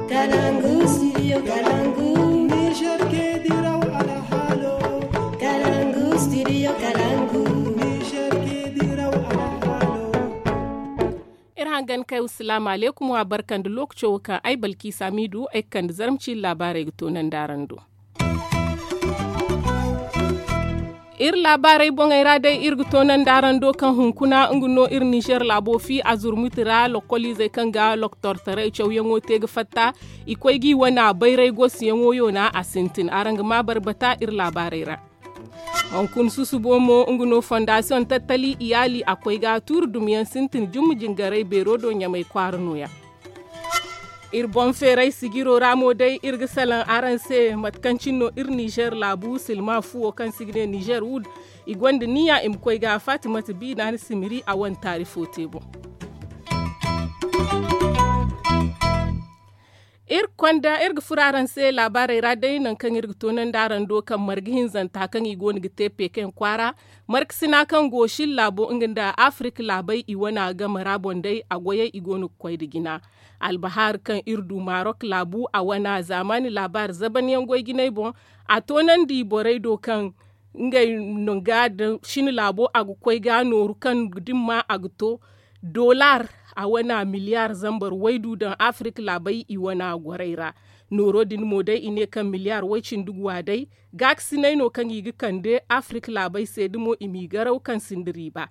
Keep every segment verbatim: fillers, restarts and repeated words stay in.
Kalangu, studio Kalangu. Niger ke diraw alhalo. Kalangu, studio Kalangu. Niger ke diraw alhalo. Iri hangan kay, wassalaamu alaykum, wa barka nda lookaco wo kaŋ ay balki saamiidu ay ga kande zarma ciiri laabaarey ga toonandi araŋ do. Iri laabaarey boŋey ra day, iri ga toonandi araŋ do kaŋ hunkuna nga no iri ninzeer laabo fi a zurmuti ra lokoliizey kaŋ ga loktortaray cawyaŋo te ga fatta. I koy g'i wane a bayray goosiyaŋo yoona a sintin araŋ ga ma barbata iri laabaarey ra. Hunkuna susubo mo nga no fondasiyoŋ tattali iyaali a koy ga tuuri dumiyaŋ sintin jumma jingaray beero do ɲamay kwaara nooya. Iri boŋ feeray sijiro ra mo day iri ga salaŋ araŋ se mate kaŋ cine no iri ninzeer laabu silma fuwo kaŋ se i ga ne ninzeer wud. I gonda niya i ma koy ga fatimata biina ni simiri a wane taarifo te boŋ. Iri konda iri ga furo araŋ se laabaarey ra day nangu kaŋ iri ga toonandi araŋ do kaŋ marga hinzanta kaŋ i go no ga te pekeŋ kwaara. Markasina kaŋ go shin laabo nga nda afirika laabey i wane a game ra boŋ day a goyey i go no ga koy nda jina. Albahaaru kaŋ iri du marok laabu a wane a zaamaani laabaari zabanyaŋ goy jinay boŋ. A toonandi borey do kaŋ ngey no ga da shin laabo a ga koy ga nooru kaŋ dimma a ga to dolaar a wane a miliyaar zambar waydu daŋ afirika laabey i wane a gorey ra. Nooro din mo day i ne kaŋ miliyaar way-cindi guwa day gaakasinay no kaŋ i ga kande afirika laabey se da mo i m'i garaw kaŋ sinda riiba.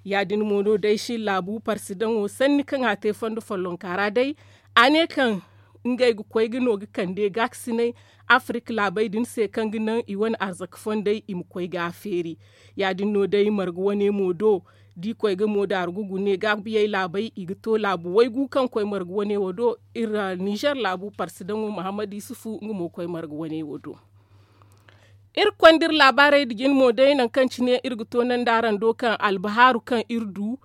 Ya- din mo no day shin laabu parsidaŋo sanni kaŋ a te fondo follonka ra day a ne kaŋ ngey ga koy ga no ga kande gaakasinay afirika laabey din se kaŋ ga naŋ i wane arzaka fondey i ma koy ga a feeri. Ya- din no day marga wane mo do da i koy ga mo daaru ga gune gaabiyey laabey i ga to laabu waygu kaŋ koy marga wane wo do. Iri ninzeer laabu parsidaŋo muhammad yusufu nga mo koy marga wane wo do. Iri ga konda iri laabaarey nda jine mo day nangu kaŋ cine iri ga toonandi araŋ do kaŋ albahaaru kaŋ iri du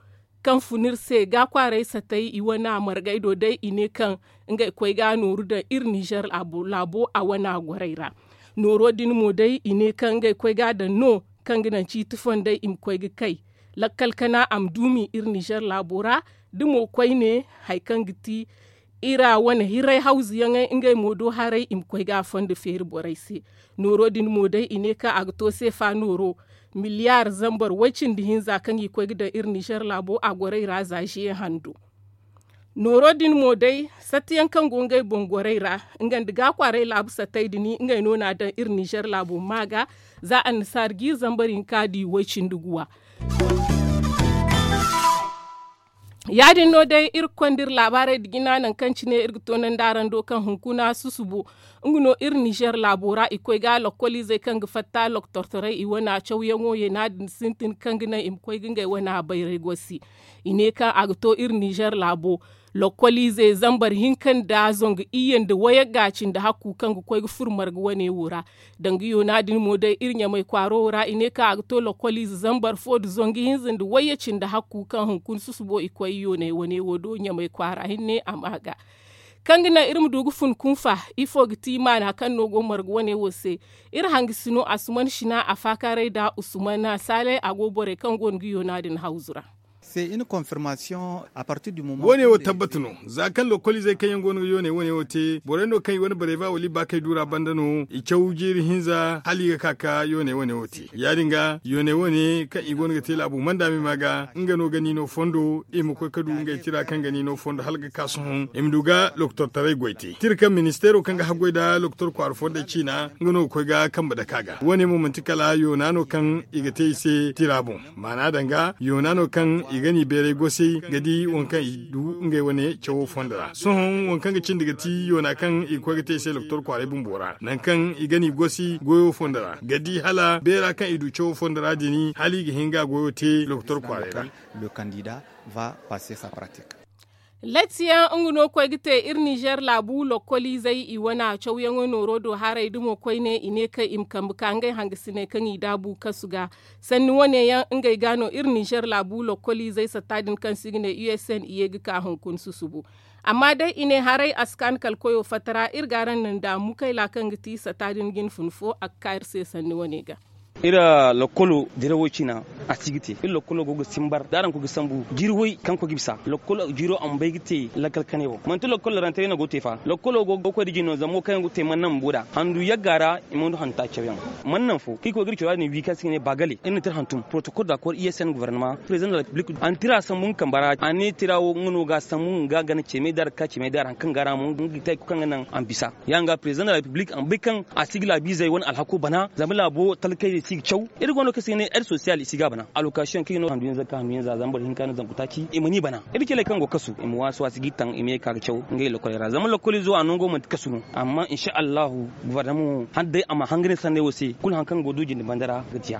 kaŋ fun iri se ga kwaaray satay i wane a margay do day i ne kaŋ ngey koy ga nooru daŋ iri ninzeer laabo a wane a gorey ra. Nooro din mo day i ne kaŋ ngey koy ga daŋ no kaŋ ga naŋ ciiti fondey i ma koy ga kay lakkal kana a ma duumi iri ninzeer laabo ra. Da mo koyne hari kaŋ ga ti iri a wane hiray hawzuyaŋey ngey mo do haray i ma koy ga a fondo feeri borey se. Nooro din mo day i ne kaŋ a ga to seefa nooro miliyaar zambar way-cindi hinza kaŋ i koy ga daŋ iri ninzeer laabo a gorey ra za ziye hando. Nooro din mo day sattiyaŋ kaŋ go ngey boŋ gorey ra nga nda ga kwaaray laabu sattay din ngey no n'a daŋ iri ninzeer laabo ma ga za annasaari jiiri zambar hinka di way-cindi guwa. Ya- din no day iri ga konda iri laabaarey nda jina nangu kaŋ cine iri ga toonandi araŋ do kaŋ hunkuna susubo nga no iri ninzeer laabo ra i koy ga lokkoliizey kaŋ ga fatta loktortaray i wane a cawyaŋo yeena din sintin kaŋ ga naŋ i ma koy ga ngey wane a bayray gosi. I ne kaŋ a ga to iri ninzeer laabo lokkoliizey zambar hinka nda zangu iyye nda wayagga cindi hakku kaŋ ga koy ga furo marga wane wo ra. Danga yoona din mo day iri ɲamay kwaaro wo ra i ne kaŋ a ga to lokkoliize zambar fo nda zangu hinza nda wayye cindi hakku kaŋ hunkuna susubo i koy yoonay wane wo do ɲamay kwaara hinne a ma ga kaŋ ga naŋ iri ma du ga fun kunfa. Ifo ga ti maana kaŋ no go marga wane wo se? Iri hangasino asuman sina a faakaaray nda usumana saalay a go borey kaŋ go no ga yoona din hawzu ra. Woone wo tabbata no za kaŋ lokoliizey kaŋ yaŋ go no ga yooney wane wo te borey no kaŋ i wane bareeba wala i baakey duura banda no i caw jiiri hinza hala i ga ka ka yooney wane wo te ya- din ga yooney wane kaŋ i go no ga te laabu manda me ma ga nga no ga ni no fondo i ma koy ka du ngey tira kaŋ ga ni no fondo hala ga ka sohõ i ma du ga lokotortaray goy te tira kaŋ ministeero kaŋ ga haggoy nda lokotor kwaara fondey ciina nga no ga koy ga kambe dake a ga woone mo manti kala yoona no kaŋ i ga te i se tira boŋ. Maana danga yoona no kaŋ i ga n'i beeray gosey ga di waŋ kaŋ i du ngey wane cawo fondo ra sohõ waŋ kaŋ ga cindi ga ti yoona kaŋ i ga koy ga te i se lokotor kwaaray bumbo ra nangu kaŋ i ga n'i gosi goyo fondo ra ga di hala beera kaŋ i du cawo fondo ra din hala i ga hin ga goyo te lokotor kwaaray ra. Latiyaŋ nga no koy ga te iri nizeer laabu lokkoliizey i wane a cawyaŋo nooro do haray dumo koyne i ne kaŋ i ma kambe ka ngey hangasiney kaŋ i daabu kasu ga. Sanni wane yaŋ ngey ga no iri nizeer laabu lokkoliizey satta din kaŋ se i ga ne u s n i ye ga ka hunkuna susubu. Amma day i ne haray a si kaanu kala koyo fatta ra iri ga araŋ naŋ da mukayla kaŋ ga ti satta din jine fun fo a ga ka iri se sanni wane ga. Iri lokolo dirawo ciina, a si ga te. Iri lokolo go ga simbar da araŋ koy ga sambu jiiri way kaŋ koy ga bisa lokolo jiiro a ma bay ga te. Lakkal kanay boŋ manti lokolo rantaray no go ga te fa lokolo go ga koy da jino zama wo kaŋ yaŋ go ga te manna bumbo nd'a handu yagga ra. I ma handu handu taaci cawyaŋ manna fo kaŋ i koy ga iri cora din wi kaŋ se i ga ne baagale iri na tira hantum protokol da kor i s n gobornama prezidaŋ da la repiblik a na tira sambu nga kamba ra a ne tira wo nga no ga a sambu nga gana ceemay da a ra ga ka ceemay da a ra hari kaŋ ga a ra mo nga ga te hari kulu kaŋ ga naŋ a ma bisa. Ya nga prezidaŋ da la repiblik a ma bay kaŋ a si ga laabiizey wane alhako bana zama laabo talkayzey si ga caw. Iri go no kaŋ se i ga ne ed sosiyal i si ga a bana alokasiyoŋ kaŋ i no handu yaŋ za ga ka handu yaŋ za zama boro hinka no zangu taaci i ma ni bana. Iri cale kaŋ go kasu i ma waasu waasu ga i taŋ i ma ye ga ka ga caw ngey lokol ra zama lokol izo a nango manti kasu no. Amma insa allahu gobornama wo hala day a ma hangan sanney wo se kulu hari kaŋ go du jinde banda ra ga diya.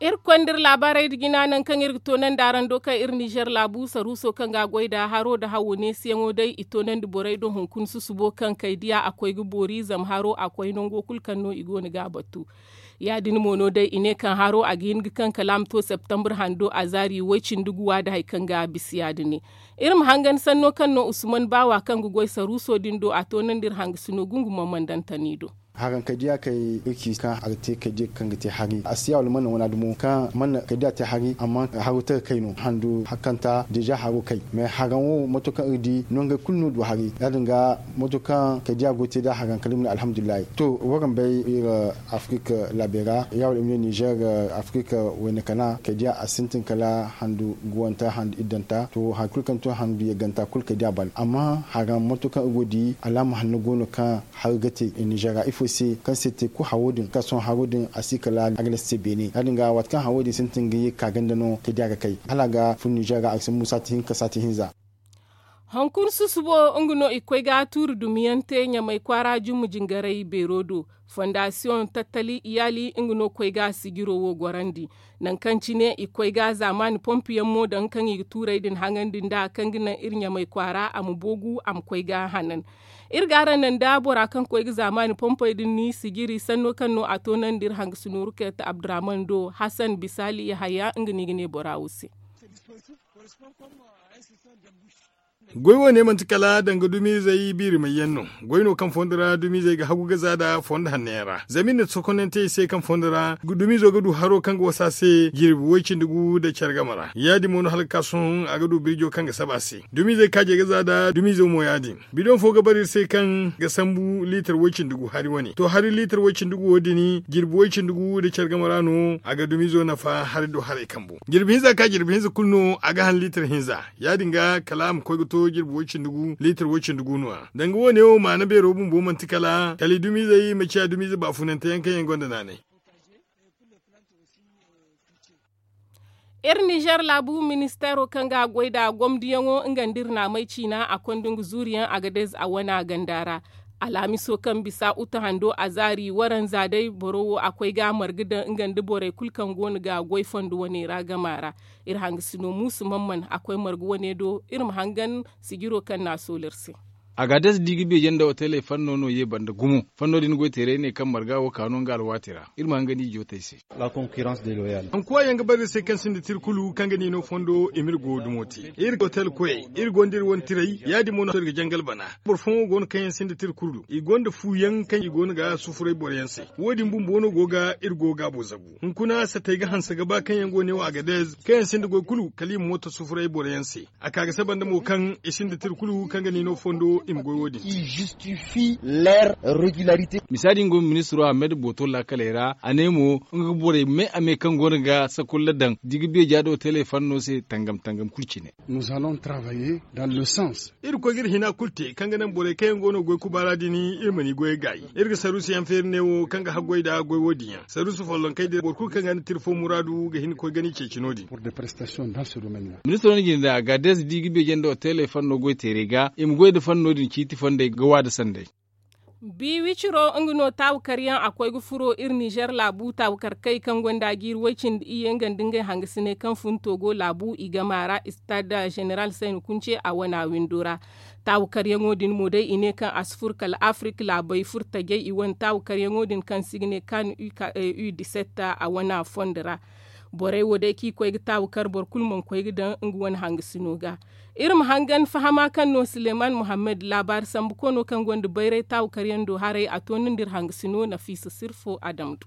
Iri ga koy nda iri laabaarey nda jina nangu kaŋ iri ga toonandi araŋ do kaŋ iri nizer laabu saruuso kaŋ ga a goy nd'a haro nda hawo neesiyaŋo day i toonandi borey do hunkuna susubo kaŋ kay diya a koy ga boori zama haro a koy nango kulu kaŋ no i go no ga a batu. Ya- din mo no day i ne kaŋ haro a ga hin ga kaŋ kala a ma to septambur hando a zaari way cindi guwa nda hari kaŋ ga a bisa ya- din. Iri ma hangan sanno kaŋ no usman baawa kaŋ ga goy saruuso din do a toonandi iri hangasino gungu mammandantani do. Haraŋ kay diya kay iri ci kaŋ a ga te kay diya kaŋ ga te hari a si ya wala manna wana dumo kaŋ manna kay diya te hari amma haro te ga kay no handu hakanta deeza haro kay mais haraŋ wo mato kaŋ iri di nongey kulu no du hari ya- din ga mato kaŋ kay diya go ga te nda haraŋ kala iri ma ne alhamdulillahi. To waraŋ bay iri afrik laabey ra ya wala iri ma ne nizer afrik wayna kana kay diya a sintin kala handu guwanta handu iddanta to hari kulu kaŋ to handu yagganta kulu kay diya ban amma haraŋ mato kaŋ iri go ga di alaama hanno go no kaŋ hari ga te nizer ra ifo se kaŋ se te kulu haro din kaŋ sohõ haro din a si kala agnes se beene ya- din ga waati kaŋ haro din sintin ga ye ga ka ganda no kay diya ga kay hala a ga fun nizer ra a ga si musa ti hinka saati hinza. Hunkuna susubo nga no i ga koy ga tuuri dumiyaŋ te ɲamay kwaara jumma jingaray beero do. Fondasiyoŋ tattali iyaali nga no ga koy ga sijiro wo gorandi. Nangu kaŋ cine i ga koy ga zaamaani pompu yaŋ mo daŋ kaŋ i ga tuurey din haŋandi nd'a kaŋ ga naŋ iri ɲamay kwaara a ma boogu a ma koy ga hanan. Iri ga araŋ naŋ nda bora kaŋ ga koy ga zaamaani pompey din ni sijiri sanno kaŋ no a toonandi iri hangasino ruket abdurahman do hasan bisaali yahaya nga no i ga ne bora wo se. Goy wo ne manti kala danga dumizey biiri may yaŋ no. Goy no kaŋ fondo ra dumizey ga hagu ga za nda fondo hanno yaŋ ra zama iri na sokonante i se kaŋ fondo ra dumizo ga du haro kaŋ ga wasa a se jirbi way cindi gu nda care game ra ya- din mo no hala ga ka sohõ a ga du birjo kaŋ ga saba a se dumizey kaaje ga za nda dumizo mo ya- din. Bidoŋ fo ga bara iri se kaŋ ga sambu liitar way cindi gu hari wane to hari liitar way cindi gu wo- din jirbi way cindi gu nda care game ra no a ga dumizo nafa hari do haray kambu jirbi hinza ka jirbi hinza kulu no a ga han liitar hinza. Ya- din ga kala a ma koy ga to jirbi way cindi gu liitar way cindi gu no- ya danga wo- ne wo maana beero bumbo manti kala kala i dumizey ma ciya dumize baafunante yaŋ kaŋ yaŋ gonda naanay. Iri nizer laabu ministeero kaŋ ga a goy nda gomdiyaŋo nga nda iri naamey ciina a konda nga zuuriyaŋ agadez a wana ganda ra. Alhamiso kaŋ bisa uta hando a zaari waranza day boro wo a koy ga a marga daŋ nga nda borey kulu kaŋ go no ga goy fondo wane ra gama ra. Iri hangasino muusu mamman a koy marga wane do iri ma hangan sijiro kaŋ no a soolu iri se. Agades da i ga beeje nda oteley fanno no ye banda gumo. Fanno din goyteerey ne kaŋ marga wo ka no nga alwaati ra iri ma hangandi i jootey se. Ankuwa yaŋ ga bare iri se kaŋ sinda tira kulu kaŋ ga ne i no fondo i ma iri go dumo te. Iri otel koyey iri gonda iri wane tirey ya- din mo no iri ga jangal bana. Boro fooyaŋo go no kaŋ yaŋ sinda tira kulu i gonda fu yaŋ kaŋ i go no ga sufuray boro yaŋ se. Wo- din bumbo no go ga iri go gaabo zagu hunkuna satey ga hanse ga ba kaŋ yaŋ go ne wo agadez kaŋ yaŋ sinda goy kulu kala i ma mooto sufuray boro yaŋ se. A ka ga saba nda mo kaŋ i sinda tira kulu kaŋ ga ne i no fondo i ma goy wo- din. Misaadi nga ministiro ahmed booto laakaley ra a ne mo nga ga borey me a me kaŋ go no ga sakulla daŋ da i ga beeja do telefanno se tangam tangam kulu cine. Iri ga koy ga iri hina kulu te kaŋ ga naŋ borey kaŋ yaŋ go no goy kubaara din iri ma ni goyey gaayi. Iri ga saruusu yaŋ feeri ne wo kaŋ ga haggoy nda goy wo- din yaŋ saruusu follonkey din boro kulu kaŋ ga ni tira fo muraadu ga hin ga koy ga ni ceeci no- din. Ministiro no jine da agades da i ga beeje nda oteley fanno goy teerey ga i ma goy nda fanno din ciiti fondey ga waada sanday. Biiwiciro nga no taabukaryaŋ a koy ga furo iri nizer laabu taabukarkey kaŋ gonda jiiri way-cindi iyye nga nda ngey hangasiney kaŋ fun togo laabu i gama ra istad zeneral sayni kunce a wana windo ra. Taabukaryaŋo din mo day i ne kaŋ a si fur kala afrik laabey furtajey i wane taabukaryaŋo din kaŋ se i ga ne kan u disetta a wana fondo ra. Borey wo day kaŋ i koy ga taawu kar boro kulu mana koy ga daŋ nga wane hangasino ga. Iri ma hangan fahama kaŋ no suleman muhammad laabaari sambu koono kaŋ gonda bayray taawu karyaŋ do haray a toonandi iri hangasino nafiisa sirfo adam do.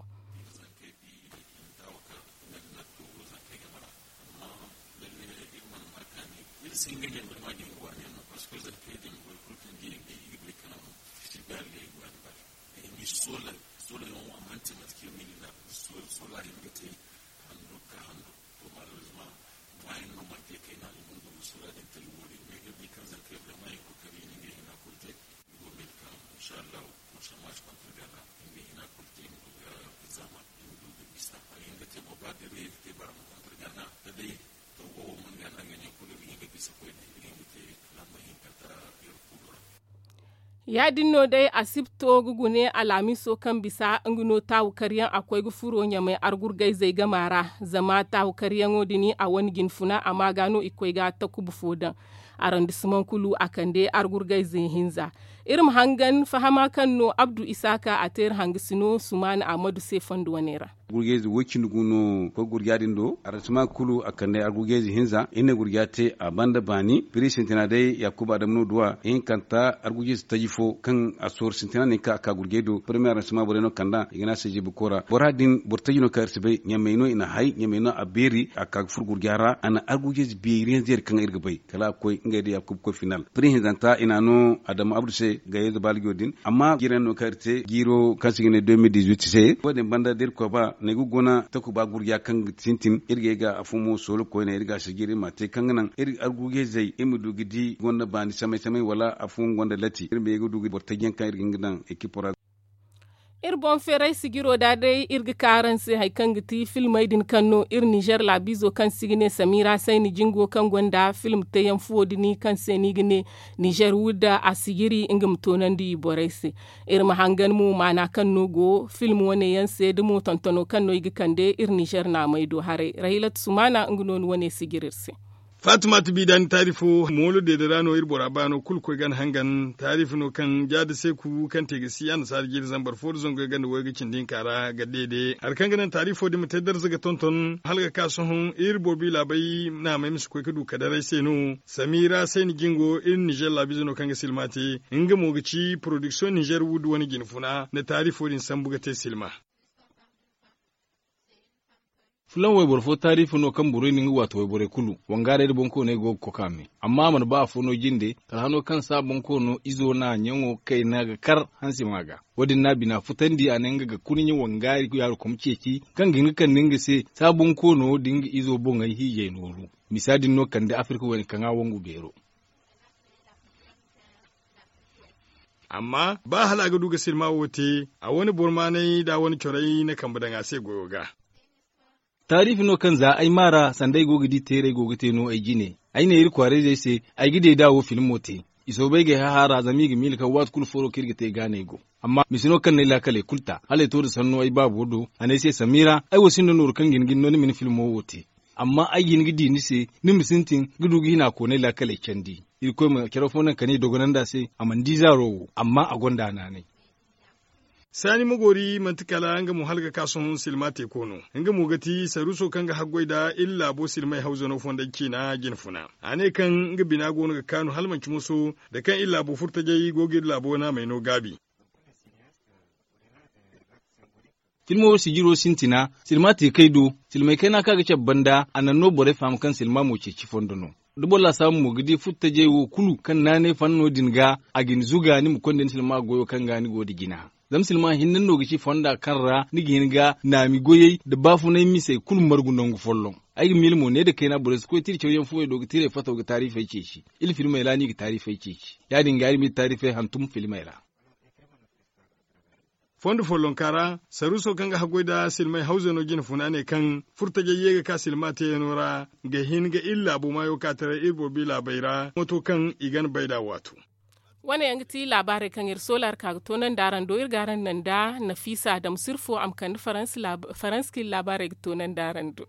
Ya- din no day alhamiso kaŋ bisa nga no taawu karyaŋ a koy ga furo ɲamay argurgayzey gama ra. Zama taawu karyaŋo din a wane jinfuna a ma ga no i koy ga takuba fo daŋ. Arandisimaŋ kulu a kande argurgayze hinza. Iri ma hangan fahama kaŋ no abdu isaaka a te iri hangasino sumaana ahmadu se fondo wane ra. Gurjayze way- cindi gu no koy gurja din do arandisimaŋ kulu a kande argurjayze hinza iri ne gurja te a banda baani piri sintina day yakuba adama no duwa ihinkanta argurjayze taji fo kaŋ a sooru sintina no i ka a ka gurjay do parmiye arandisimaŋ borey no kand'a i ga ne a se jiibi koora bora din boro taji no kaŋ iri si bay ɲamey no i na hay ɲamey no a beeri a ka ga furo gurja ra a na argujayze beeriyaŋ zeeri kaŋ iri ga bay kala a koy ngey da yakuba koy final piri hinzanta i na a no adama abdu se gayayze baalijo din amma jiirayaŋ no kaŋ iri te jiiro kaŋ se i ga ne deux mille dix-huit se wo- din banda da iri koy ba no ay ga guna takuba gurja kaŋ ga sintin iri ga ay ga afo mo soolo koyne iri ga a sijir iri ma a te kaŋ ga naŋ iri argujayzey iri ma du ga di gonda baani samay samay wala afo nga gonda lati iri ma ye ga du ga boro taji yaŋ kaŋ iri ga hin ga daŋ ekipo ra. Iri boŋ feeray sijiro da day iri ga ka araŋ se hari kaŋ ga ti filmey din kaŋ no iri nizer laabiizo kaŋ se i ga ne samira sayni jingo kaŋ gonda film teeyaŋ fuwo din kaŋ se no i ga ne nizer wudda a sijiri nga ma toonandi borey se. Iri ma hangan mo maana kaŋ no go film wane yaŋ se da mo tontano kaŋ no i ga kande iri nizer naamey do haray rahilatu sumaana nga no ni wane sijiri iri se. Fatimata bi da ni taarifo moolo deede ra no iri bora baano kulu koy ga ni hangan taarifi no kaŋ jaada seeku kaŋ te ga si annasaara jiiri zambar fo nda zangu yaŋ ganda way ga cindi hinka ra ga deede hari kaŋ ga naŋ taarifo din ma te darza ga tonton hala ga ka sohõ iri boobo i laabey naamey ma si koy ga du kadaray se no. Samira sayni jingo iri nizer laabiize no kaŋ ga silma te nga mo ga ci porodiksiyoŋ nizer wuddu wane jinfuna nda taarifo din sambu ga te silma. Fulaŋ wayboro fo taariifa no kaŋ borey na nga waati wayborey kulu wangaarey nda boŋkooney go ga koka me. Amma a mana ba afo no jinde kala hano kaŋ saa boŋkoono izo na ɲaŋo kayna ga kar hansi ma ga. Wo- din no a bina futandi a ne nga ga kurɲe wangaari yaaru kom ceeci kaŋ ga hin ga kande nga se saa boŋkoono da nga izo boŋey hiijay nooru. Misa din no kande afirka wane kaŋ a wangu beero. Amma ba hala a ga du ga silma wo te a wane boro maanay nda a wane corey na kambe daŋ a se goyo ga. Taariifi no kaŋ za ay maara sanda ay go ga di teeray go ga te no ay jine. Ay ne iri kwaarayzey se ay ga deeda wo filmo te. I soobay ga ay hahaara zama i ga miila kaŋ waati kulu foro kaŋ iri ga te gaanay go. Amma mise no kaŋ no ay laakaley kulu ta hala ay to nda sanno ay baabo do a ne ay se samira ay wo sinda nooru kaŋ ga hin ga ni no ni ma ni filmo wo te. Amma ay ga hin ga di ni se ni ma sintin ga du ga hina koonay laakaley candi. Irkoy ma care fo naŋ kala i dogonandi a se a mana di zaaro wo amma a gonda a naanay. Saani ma goori manti kala nga mo hala ga ka sohõ silma teeko no. Nga mo ga ti saruuso kaŋ ga haggoy nda iri laabo silmay hawzano fonday ciina jinfuna. A ne kaŋ nga bina go no ga kaanu hala manci moso nda kaŋ iri laabo furtajey go ga iri laabo naamey no gaabi. Filmo wo sijiro sintina silma te kay do. Silmay kayna kaŋ a ga cabe banda a naŋ no borey faham kaŋ silma mo ceeci fondo no. Da boro laasaabu mo ga di furtajey wo kulu kaŋ naanay fanno din ga a ga ni zuga ni ma konda ni silma goyo kaŋ ga ni go nda jina. Zama silma hinne no ga ci fonda kaŋ ra ni ga hin ga naami goyey nda baafunay misey kulu margu nangu folloŋ. Ay ga miila mo ne nda kayna borey si koy tira cawyaŋ fuwey do ga tiray fato ga taarifey ceeci. Iri filmey ra no i ga taarifey ceeci. Ya- din ga iri ma iri taarifey hantum filmey ra. Fondo follonka ra saruuso kaŋ ga haggoy nda silmay hawzano jinfuna ne kaŋ furtajey ye ga ka silma teeyano ra ga hin ga iri laabo maayo ka taray iri boobo i laabey ra mooto kaŋ i ga ni bay nd'a waatu. Wane yaŋ ga ti laabaarey kaŋ iri soola iri ka ga toonandi araŋ do iri ga araŋ naŋ nda nafiisa adama sirfo a ma kande faransi kaŋ iri laabaarey ga toonandi araŋ do.